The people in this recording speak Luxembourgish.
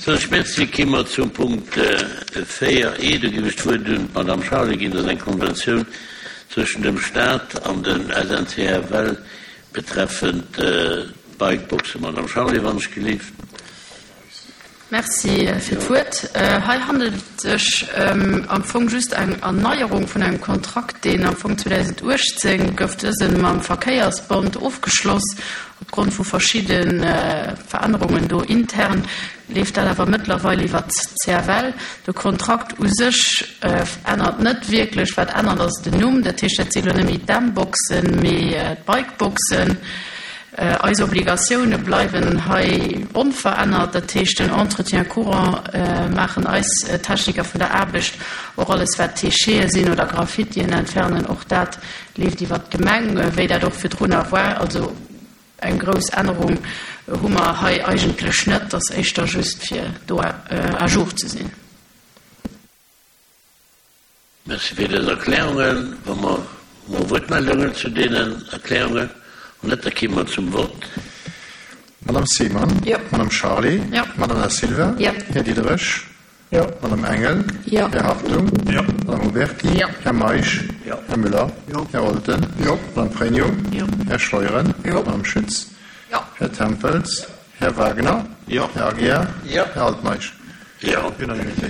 Sou, ech merci. Gi mer zum Punkt 4 e. Do géif ech d'Wuert un d'Madame Charlé ginn. Dat ass eng Konventioun zwëschen dem Stat an dem SNCFL betreffend d'Bikeboxen. Madame Charlé, wann ech gelift. Merci fir d'Wuert. Hei handelt et sech am Fong just eng Erneierung vun engem Kontrakt, deen am Fong 2018 gouf dëse mam Verkéiersbond ofgeschloss. Opgrond vu verschidde Verännerungen do intern leeft dat awer mëttlerweil iwwert d'CFL. De Kontrakt u sech ännert net wierklech. Wat ännert ass den Numm. Dat heescht, dat si lo net méi d'M-Boxen, mee d'Bikeboxen. Eis Obligatioune bleiwen hei onverännert, dat heescht den Entretien courant maachen eis Techniker vun der Aarbecht, och alles wat Déchete sinn oder Graffitien entfernen, och dat leeft iwwert d'Gemeng, wéi dat och virdrunner war. Also eng grouss Ännerung hu mer hei eigentlech net, ass éischter just fir do à jour ze sinn. Merci fir dës Erklärungen. Wa mer hu mer Wuertmeldungen zu deenen Erklärungen? Wann net, da ki mer zum Vott. Madame Seemann? Jo. Madame Charlé? Jo. Madame Da Silva? Jo. Här Diderich? Jo. Madame Engel? Jo. Här Hartung? Jo. Madame Huberty? Jo. Här Meisch? Jo. Här Müller? Jo. Här Olten? Jo. Madame Pregno? Jo. Här Scheuren? Jo. Madame Schütz? Jo. Här Tempels? Här Wagner? Jo. Här Aguiar? Jo. Här Altmeisch? Jo. Unanimité.